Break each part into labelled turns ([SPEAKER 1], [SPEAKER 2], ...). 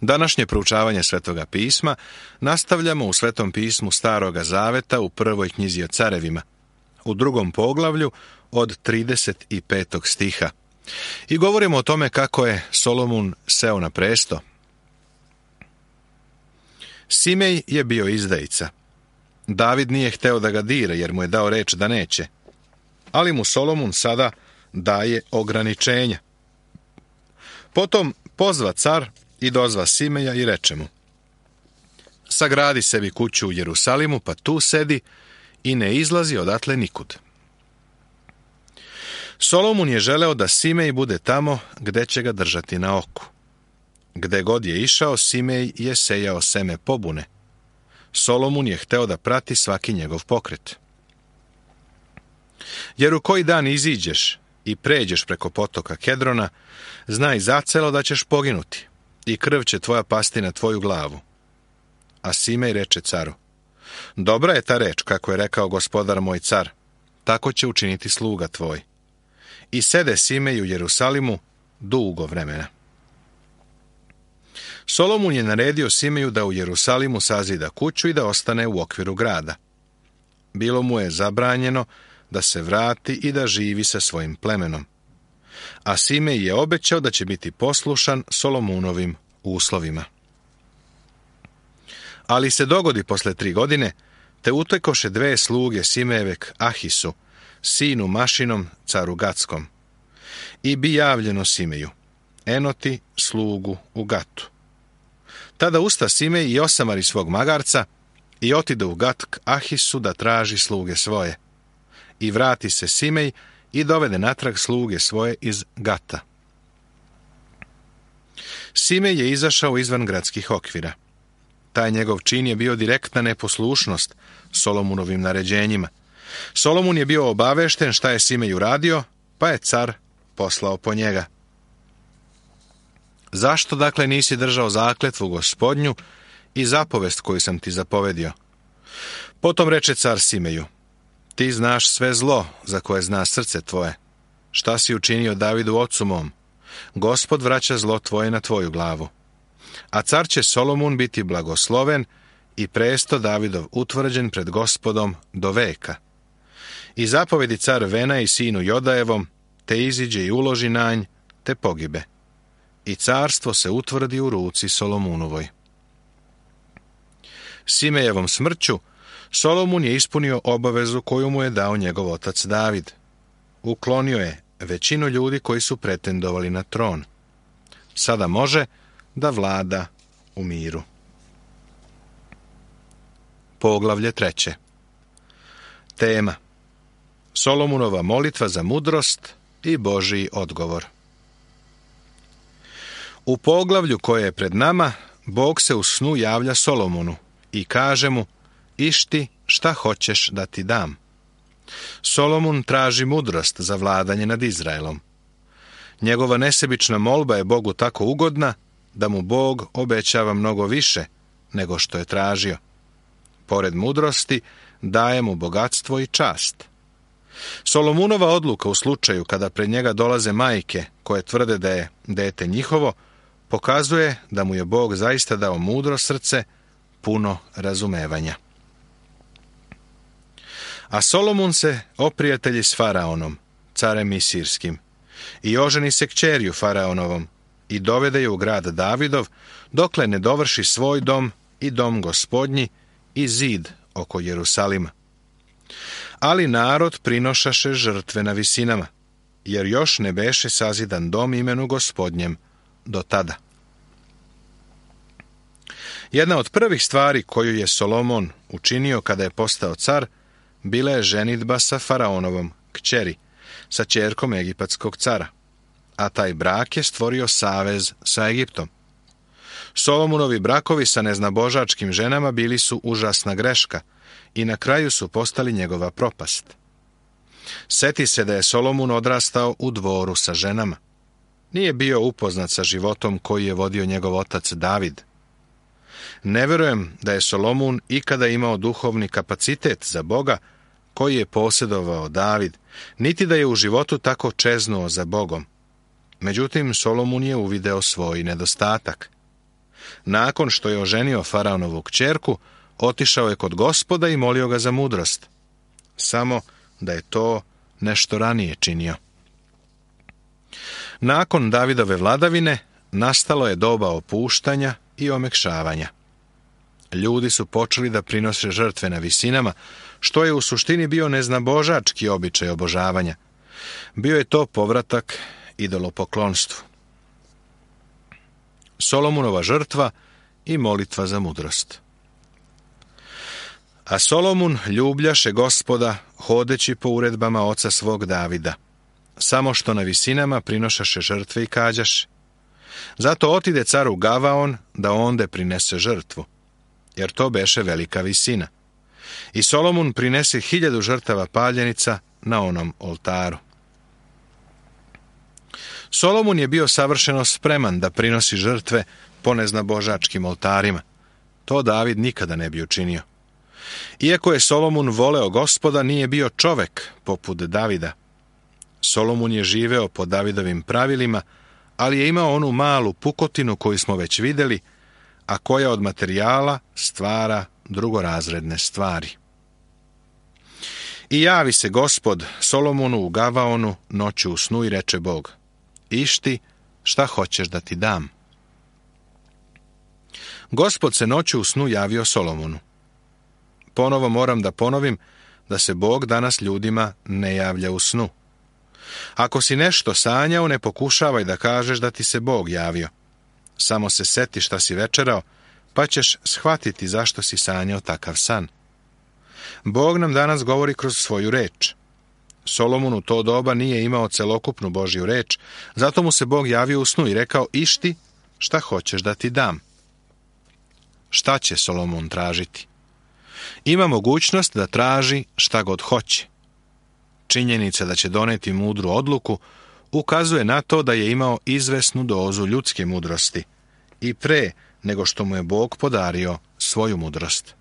[SPEAKER 1] Današnje proučavanje Svetoga pisma nastavljamo u Svetom pismu Staroga zaveta u prvoj knjizi o carevima, u 2. poglavlju od 35. stiha. I govorimo o tome kako je Solomon seo na presto. Simej je bio izdajica. David nije hteo da ga dira jer mu je dao reč da neće. Ali mu Solomon sada daje ograničenja. Potom pozva car i dozva Simeja i reče mu: sagradi sebi kuću u Jerusalimu, pa tu sedi i ne izlazi odatle nikud. Solomon je želeo da Simej bude tamo gde će ga držati na oku. Gde god je išao, Simej je sejao seme pobune. Solomon je hteo da prati svaki njegov pokret. Jer u koji dan iziđeš i pređeš preko potoka Kedrona, znaj zacelo da ćeš poginuti i krv će tvoja pasti na tvoju glavu. A Simej reče caru: dobra je ta reč, kako je rekao gospodar moj car, tako će učiniti sluga tvoj. I sede Simej u Jerusalimu dugo vremena. Solomon je naredio Simeju da u Jerusalimu sazida kuću i da ostane u okviru grada. Bilo mu je zabranjeno da se vrati i da živi sa svojim plemenom. A Simej je obećao da će biti poslušan Solomonovim uslovima. Ali se dogodi posle 3 godine, te utekoše 2 sluge Simejevek Ahisu, sinu Mašinom, caru Gatskom. I bi javljeno Simeju: enoti slugu u Gatu. Tada usta Simej i osamari svog magarca i otide u Gat k Ahisu da traži sluge svoje. I vrati se Simej i dovede natrag sluge svoje iz Gata. Simej je izašao izvan gradskih okvira. Taj njegov čin je bio direktna neposlušnost Solomonovim naređenjima. Solomon je bio obavešten šta je Simej uradio, pa je car poslao po njega. Zašto dakle nisi držao zakletvu Gospodnju i zapovest koju sam ti zapovedio? Potom reče car Simeju: ti znaš sve zlo za koje zna srce tvoje. Šta si učinio Davidu ocu mom? Gospod vraća zlo tvoje na tvoju glavu. A car će Solomon biti blagosloven i presto Davidov utvrđen pred Gospodom do veka. I zapovedi car Vena i sinu Jodajevom, te iziđe i uloži na nj, te pogibe. I carstvo se utvrdi u ruci Solomonovoj. Simejevom smrću Solomon je ispunio obavezu koju mu je dao njegov otac David. Uklonio je većinu ljudi koji su pretendovali na tron. Sada može da vlada u miru. Poglavlje 3. Tema: Solomonova molitva za mudrost i Božji odgovor. U poglavlju koje je pred nama, Bog se u snu javlja Solomonu i kaže mu: išti šta hoćeš da ti dam. Solomon traži mudrost za vladanje nad Izraelom. Njegova nesebična molba je Bogu tako ugodna da mu Bog obećava mnogo više nego što je tražio. Pored mudrosti daje mu bogatstvo i čast. Solomonova odluka u slučaju kada pred njega dolaze majke koje tvrde da je dete njihovo, pokazuje da mu je Bog zaista dao mudro srce, puno razumevanja. A Solomon se oprijatelji s Faraonom, carem Misirskim, i oženi se kćerju Faraonovom i dovede je u grad Davidov, dokle ne dovrši svoj dom i dom Gospodnji i zid oko Jerusalima. Ali narod prinošaše žrtve na visinama, jer još ne beše sazidan dom imenu Gospodnjem do tada. Jedna od prvih stvari koju je Solomon učinio kada je postao car, bila je ženidba sa Faraonovom kćeri, sa ćerkom egipatskog cara, a taj brak je stvorio savez sa Egiptom. Solomonovi brakovi sa neznabožačkim ženama bili su užasna greška i na kraju su postali njegova propast. Seti se da je Solomon odrastao u dvoru sa ženama. Nije bio upoznat sa životom koji je vodio njegov otac David. Ne verujem da je Solomon ikada imao duhovni kapacitet za Boga koji je posjedovao David, niti da je u životu tako čeznuo za Bogom. Međutim, Solomon je uvideo svoj nedostatak. Nakon što je oženio faraonovu kćerku, otišao je kod Gospoda i molio ga za mudrost. Samo da je to nešto ranije činio. Nakon Davidove vladavine nastalo je doba opuštanja i omekšavanja. Ljudi su počeli da prinose žrtve na visinama, što je u suštini bio neznabožački običaj obožavanja. Bio je to povratak idolopoklonstvu. Solomonova žrtva i molitva za mudrost. A Solomon ljubljaše Gospoda, hodeći po uredbama oca svog Davida, samo što na visinama prinošaše žrtve i kađaše. Zato otide caru Gavaon da onde prinese žrtvu, jer to beše velika visina. I Solomon prinese 1000 žrtava paljenica na onom oltaru. Solomon je bio savršeno spreman da prinosi žrtve po neznabožačkim oltarima. To David nikada ne bi učinio. Iako je Solomon voleo Gospoda, nije bio čovek poput Davida. Solomon je živeo po Davidovim pravilima, ali je imao onu malu pukotinu koju smo već vidjeli, a koja od materijala stvara drugorazredne stvari. I javi se Gospod Solomonu u Gavaonu noću u snu i reče Bog: Išti, šta hoćeš da ti dam? Gospod se noću u snu javio Solomonu. Ponovo moram da ponovim da se Bog danas ljudima ne javlja u snu. Ako si nešto sanjao, ne pokušavaj da kažeš da ti se Bog javio. Samo se seti šta si večerao, pa ćeš shvatiti zašto si sanjao takav san. Bog nam danas govori kroz svoju reč. Solomon u to doba nije imao celokupnu Božju reč, zato mu se Bog javio u snu i rekao: Išti, šta hoćeš da ti dam? Šta će Solomon tražiti? Ima mogućnost da traži šta god hoće. Činjenica da će doneti mudru odluku ukazuje na to da je imao izvesnu dozu ljudske mudrosti i pre nego što mu je Bog podario svoju mudrost.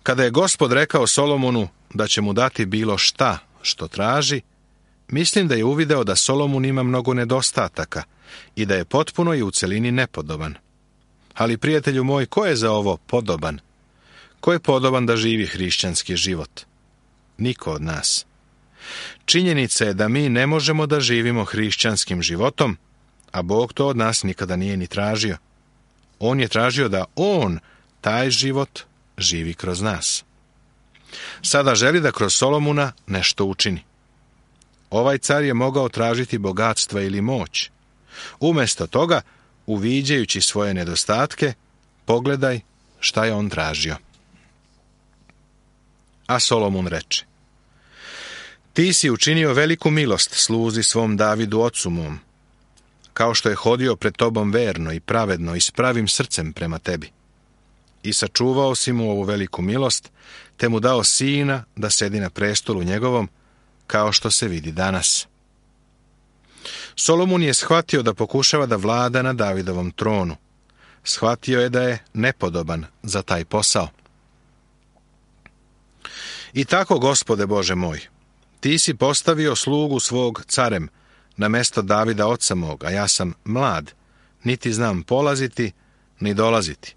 [SPEAKER 1] Kada je Gospod rekao Solomonu da će mu dati bilo šta što traži, mislim da je uvideo da Solomon ima mnogo nedostataka i da je potpuno i u celini nepodoban. Ali, prijatelju moj, ko je za ovo podoban? Ko je podoban da živi hrišćanski život? Niko od nas. Činjenica je da mi ne možemo da živimo hrišćanskim životom, a Bog to od nas nikada nije ni tražio. On je tražio da On taj život živi kroz nas. Sada želi da kroz Solomona nešto učini. Ovaj car je mogao tražiti bogatstva ili moć. Umjesto toga, uviđajući svoje nedostatke, pogledaj šta je on tražio. A Solomon reče: Ti si učinio veliku milost sluzi svom Davidu ocu mom, kao što je hodio pred tobom verno i pravedno i s pravim srcem prema tebi. I sačuvao si mu ovu veliku milost, te mu dao sina da sedi na prestolu njegovom, kao što se vidi danas. Solomon je shvatio da pokušava da vlada na Davidovom tronu. Shvatio je da je nepodoban za taj posao. I tako, Gospode Bože moj, ti si postavio slugu svog carem na mesto Davida oca mog, a ja sam mlad, niti znam polaziti, ni dolaziti.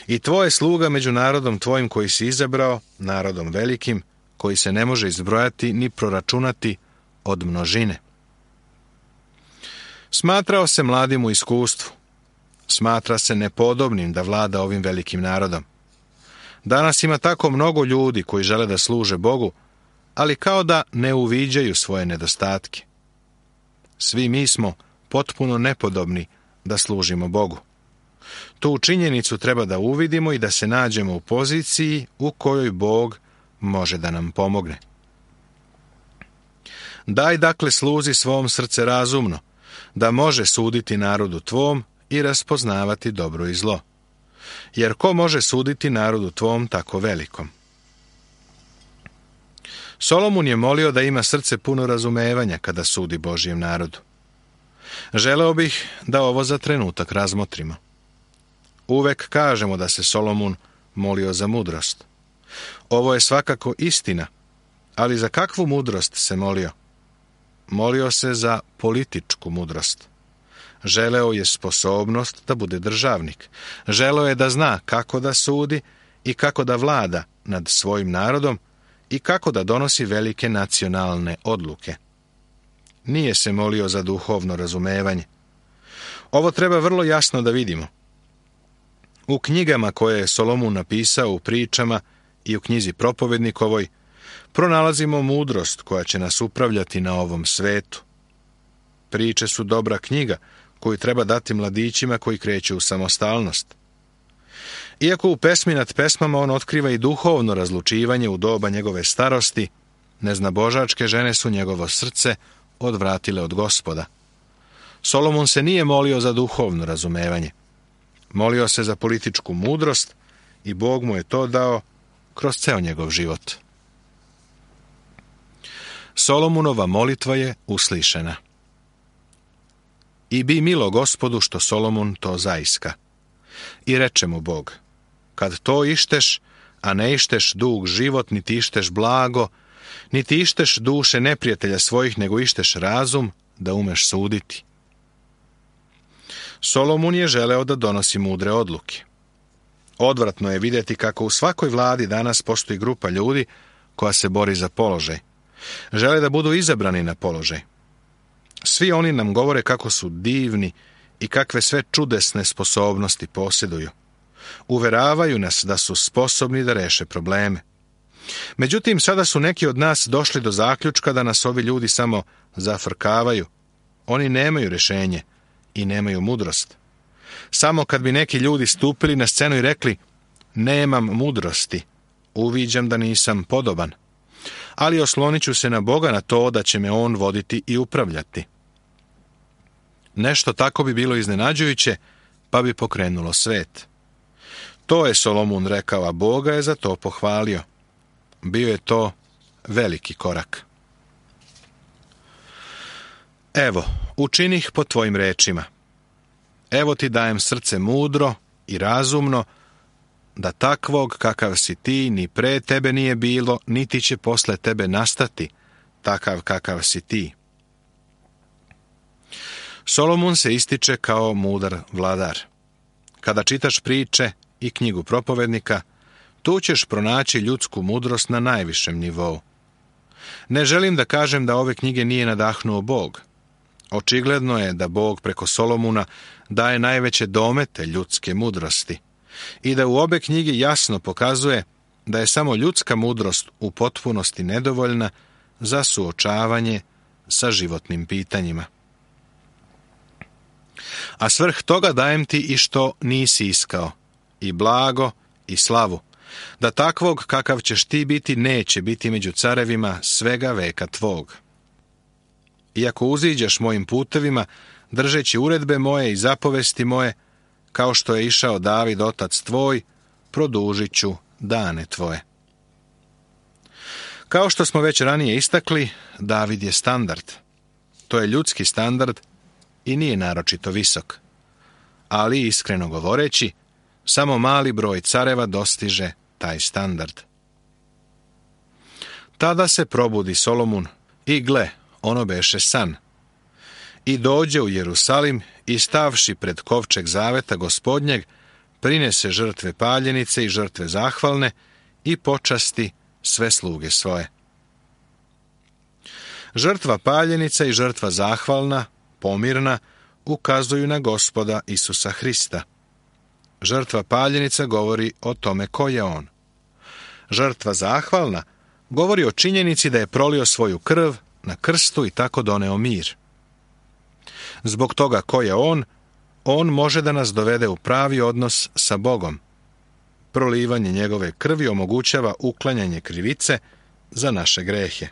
[SPEAKER 1] I tvoj je sluga među narodom tvojim koji si izabrao, narodom velikim, koji se ne može izbrojati ni proračunati od množine. Smatrao se mladim u iskustvu. Smatra se nepodobnim da vlada ovim velikim narodom. Danas ima tako mnogo ljudi koji žele da služe Bogu, ali kao da ne uviđaju svoje nedostatke. Svi mi smo potpuno nepodobni da služimo Bogu. Tu činjenicu treba da uvidimo i da se nađemo u poziciji u kojoj Bog može da nam pomogne. Daj dakle sluzi svom srce razumno, da može suditi narodu tvom i raspoznavati dobro i zlo. Jer ko može suditi narodu tvom tako velikom? Solomon je molio da ima srce puno razumevanja kada sudi Božjem narodu. Želeo bih da ovo za trenutak razmotrimo. Uvek kažemo da se Solomon molio za mudrost. Ovo je svakako istina, ali za kakvu mudrost se molio? Molio se za političku mudrost. Želeo je sposobnost da bude državnik. Želeo je da zna kako da sudi i kako da vlada nad svojim narodom i kako da donosi velike nacionalne odluke. Nije se molio za duhovno razumevanje. Ovo treba vrlo jasno da vidimo. U knjigama koje je Solomon napisao, u pričama i u knjizi Propovednikovoj, pronalazimo mudrost koja će nas upravljati na ovom svetu. Priče su dobra knjiga koju treba dati mladićima koji kreću u samostalnost. Iako u pesmi nad pesmama on otkriva i duhovno razlučivanje u doba njegove starosti, neznabožačke žene su njegovo srce odvratile od Gospoda. Solomon se nije molio za duhovno razumevanje. Molio se za političku mudrost i Bog mu je to dao kroz ceo njegov život. Solomonova molitva je uslišena. I bi milo Gospodu što Solomon to zaiska. I reče mu Bog, kad to išteš, a ne išteš dug život, niti išteš blago, niti išteš duše neprijatelja svojih, nego išteš razum, da umeš suditi. Solomon je želeo da donosi mudre odluke. Odvratno je vidjeti kako u svakoj vladi danas postoji grupa ljudi koja se bori za položaj. Žele da budu izabrani na položaj. Svi oni nam govore kako su divni i kakve sve čudesne sposobnosti posjeduju. Uveravaju nas da su sposobni da reše probleme. Međutim, sada su neki od nas došli do zaključka da nas ovi ljudi samo zafrkavaju. Oni nemaju rješenje i nemaju mudrost. Samo kad bi neki ljudi stupili na scenu i rekli, nemam mudrosti, uviđam da nisam podoban, ali oslonit ću se na Boga na to da će me On voditi i upravljati. Nešto tako bi bilo iznenađujuće, pa bi pokrenulo svet. To je Solomon rekao, a Boga je za to pohvalio. Bio je to veliki korak. Evo, učinih po tvojim rečima. Evo ti dajem srce mudro i razumno, da takvog kakav si ti ni pre tebe nije bilo, niti će posle tebe nastati takav kakav si ti. Solomon se ističe kao mudar vladar. Kada čitaš priče i knjigu Propovednika, tu ćeš pronaći ljudsku mudrost na najvišem nivou. Ne želim da kažem da ove knjige nije nadahnuo Bog. Očigledno je da Bog preko Solomona daje najveće domete ljudske mudrosti i da u obe knjige jasno pokazuje da je samo ljudska mudrost u potpunosti nedovoljna za suočavanje sa životnim pitanjima. A svrh toga dajem ti i što nisi iskao, i blago i slavu, da takvog kakav ćeš ti biti neće biti među carevima svega veka tvog. Iako uziđeš mojim putevima, držeći uredbe moje i zapovesti moje, kao što je išao David otac tvoj, produžit ću dane tvoje. Kao što smo već ranije istakli, David je standard. To je ljudski standard i nije naročito visok. Ali, iskreno govoreći, samo mali broj careva dostiže taj standard. Tada se probudi Solomon i gle, ono beše san. I dođe u Jerusalim i stavši pred kovčeg zaveta Gospodnjeg, prinese žrtve paljenice i žrtve zahvalne i počasti sve sluge svoje. Žrtva paljenica i žrtva zahvalna, pomirna, ukazuju na Gospoda Isusa Hrista. Žrtva paljenica govori o tome ko je on. Žrtva zahvalna govori o činjenici da je prolio svoju krv na krstu i tako doneo mir. Zbog toga ko je on može da nas dovede u pravi odnos sa Bogom. Prolivanje njegove krvi omogućava uklanjanje krivice za naše grehe.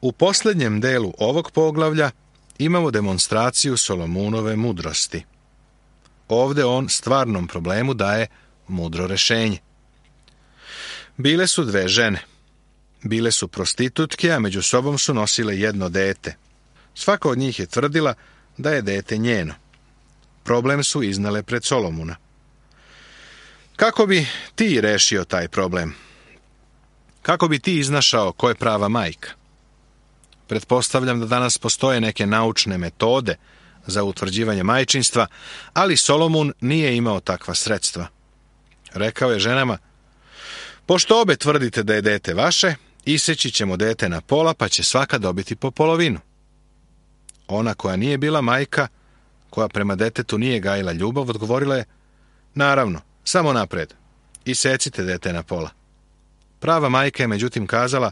[SPEAKER 1] U posljednjem delu ovog poglavlja imamo demonstraciju Solomonove mudrosti. Ovdje on stvarnom problemu daje mudro rješenje. Bile su dve žene. Bile su prostitutke, a među sobom su nosile jedno dete. Svaka od njih je tvrdila da je dete njeno. Problem su iznale pred Solomona. Kako bi ti rešio taj problem? Kako bi ti iznašao ko je prava majka? Pretpostavljam da danas postoje neke naučne metode za utvrđivanje majčinstva, ali Solomon nije imao takva sredstva. Rekao je ženama: pošto obe tvrdite da je dete vaše, iseći ćemo dete na pola, pa će svaka dobiti po polovinu. Ona koja nije bila majka, koja prema detetu nije gajila ljubav, odgovorila je: naravno, samo napred, isecite dete na pola. Prava majka je međutim kazala: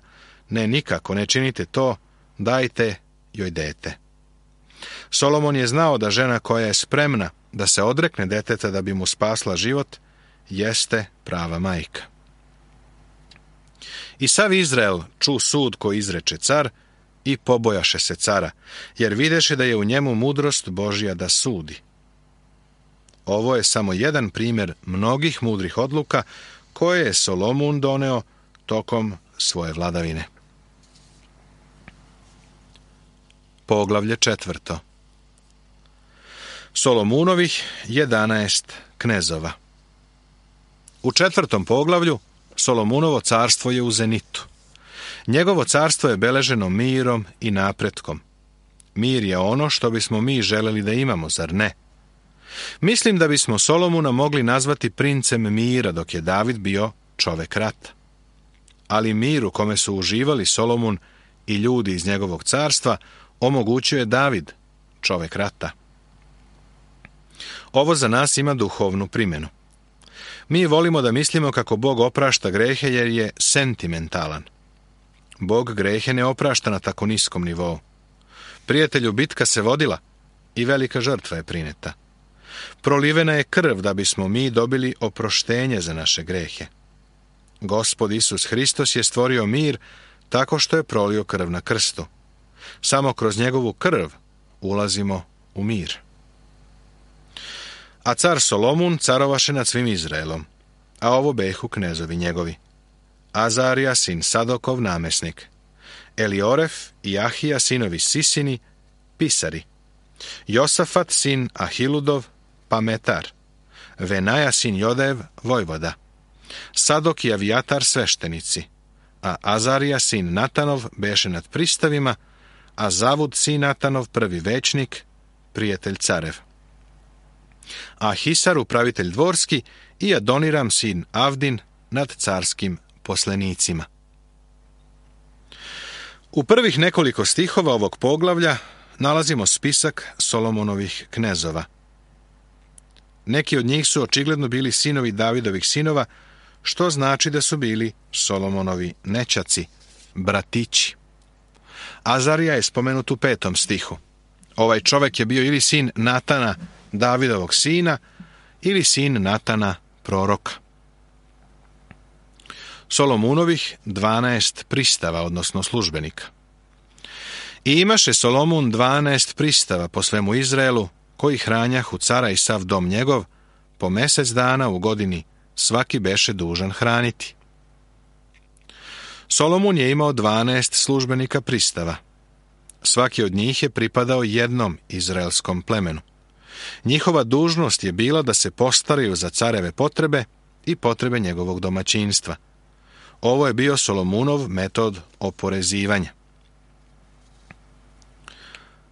[SPEAKER 1] ne, nikako, ne činite to, dajte joj dete. Solomon je znao da žena koja je spremna da se odrekne deteta da bi mu spasla život, jeste prava majka. I sav Izrael ču sud koji izreče car i pobojaše se cara, jer videše da je u njemu mudrost Božja da sudi. Ovo je samo jedan primjer mnogih mudrih odluka koje je Solomon doneo tokom svoje vladavine. Poglavlje 4. Solomunovih 11 knezova. U 4. poglavlju Solomunovo carstvo je u zenitu. Njegovo carstvo je beleženo mirom i napretkom. Mir je ono što bismo mi želeli da imamo, zar ne? Mislim da bismo Solomuna mogli nazvati princem mira, dok je David bio čovek rata. Ali mir u kome su uživali Solomon i ljudi iz njegovog carstva omogućuje David, čovek rata. Ovo za nas ima duhovnu primjenu. Mi volimo da mislimo kako Bog oprašta grehe jer je sentimentalan. Bog grehe ne oprašta na tako niskom nivou. Prijatelju, bitka se vodila i velika žrtva je prineta. Prolivena je krv da bismo mi dobili oproštenje za naše grehe. Gospod Isus Hristos je stvorio mir tako što je prolio krv na krstu. Samo kroz njegovu krv ulazimo u mir. A car Solomon carovaše nad svim Izraelom, a ovo behu knezovi njegovi: Azarija sin Sadokov namesnik, Elioref i Ahija sinovi Sisini pisari, Josafat sin Ahiludov pametar, Venaja sin Jodev vojvoda, Sadok i Avijatar sveštenici, a Azarija sin Natanov beše nad pristavima, a Zavud sin Natanov prvi većnik, prijatelj carev, a Hisar upravitelj dvorski i Adoniram sin Avdin nad carskim poslenicima. U prvih nekoliko stihova ovog poglavlja nalazimo spisak Solomonovih knezova. Neki od njih su očigledno bili sinovi Davidovih sinova, što znači da su bili Solomonovi nećaci, bratići. Azarija je spomenut u 5. stihu. Ovaj čovjek je bio ili sin Natana, Davidovog sina, ili sin Natana, proroka. Solomunovih 12 pristava, odnosno službenika. I imaše Solomon 12 pristava po svemu Izraelu, koji hranjahu cara i sav dom njegov, po mjesec dana u godini svaki beše dužan hraniti. Solomon je imao 12 službenika pristava. Svaki od njih je pripadao jednom izraelskom plemenu. Njihova dužnost je bila da se postaraju za careve potrebe i potrebe njegovog domaćinstva. Ovo je bio Solomunov metod oporezivanja.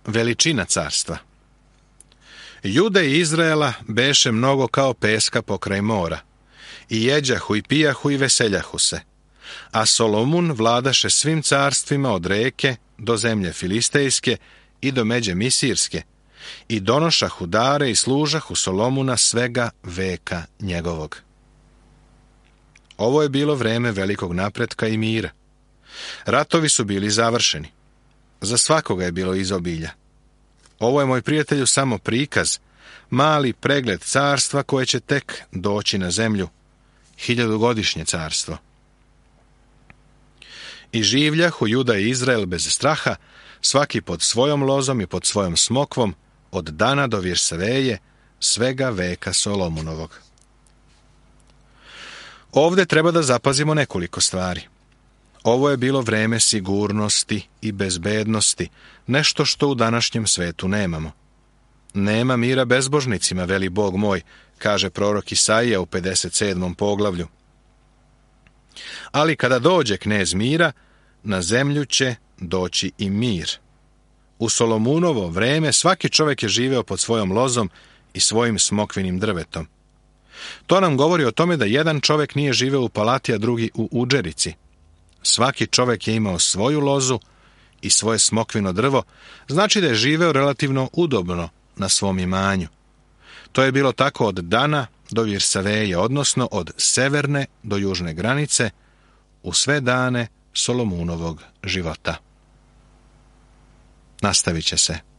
[SPEAKER 1] Veličina carstva. Jude i Izraela beše mnogo kao peska pokraj mora. I jeđahu i pijahu i veseljahu se. A Solomon vladaše svim carstvima od reke do zemlje filistejske i do međe misirske. I donošahu dare i služahu Solomuna svega veka njegovog. Ovo je bilo vreme velikog napretka i mira. Ratovi su bili završeni. Za svakoga je bilo izobilja. Ovo je, moj prijatelju, samo prikaz, mali pregled carstva koje će tek doći na zemlju, 1000-godišnje carstvo. I življahu Juda i Izrael bez straha, svaki pod svojom lozom i pod svojom smokvom, od dana do Virsaveje, svega veka Solomunovog. Ovdje treba da zapazimo nekoliko stvari. Ovo je bilo vreme sigurnosti i bezbednosti, nešto što u današnjem svetu nemamo. Nema mira bezbožnicima, veli Bog moj, kaže prorok Isaija u 57. poglavlju. Ali kada dođe knez mira, na zemlju će doći i mir. U Solomunovo vreme svaki čovjek je živeo pod svojom lozom i svojim smokvinim drvetom. To nam govori o tome da jedan čovjek nije živeo u palati, a drugi u udžerici. Svaki čovjek je imao svoju lozu i svoje smokvino drvo, znači da je živeo relativno udobno na svom imanju. To je bilo tako od Dana do Virsaveje, odnosno od severne do južne granice, u sve dane Solomunovog života. Nastavit će se.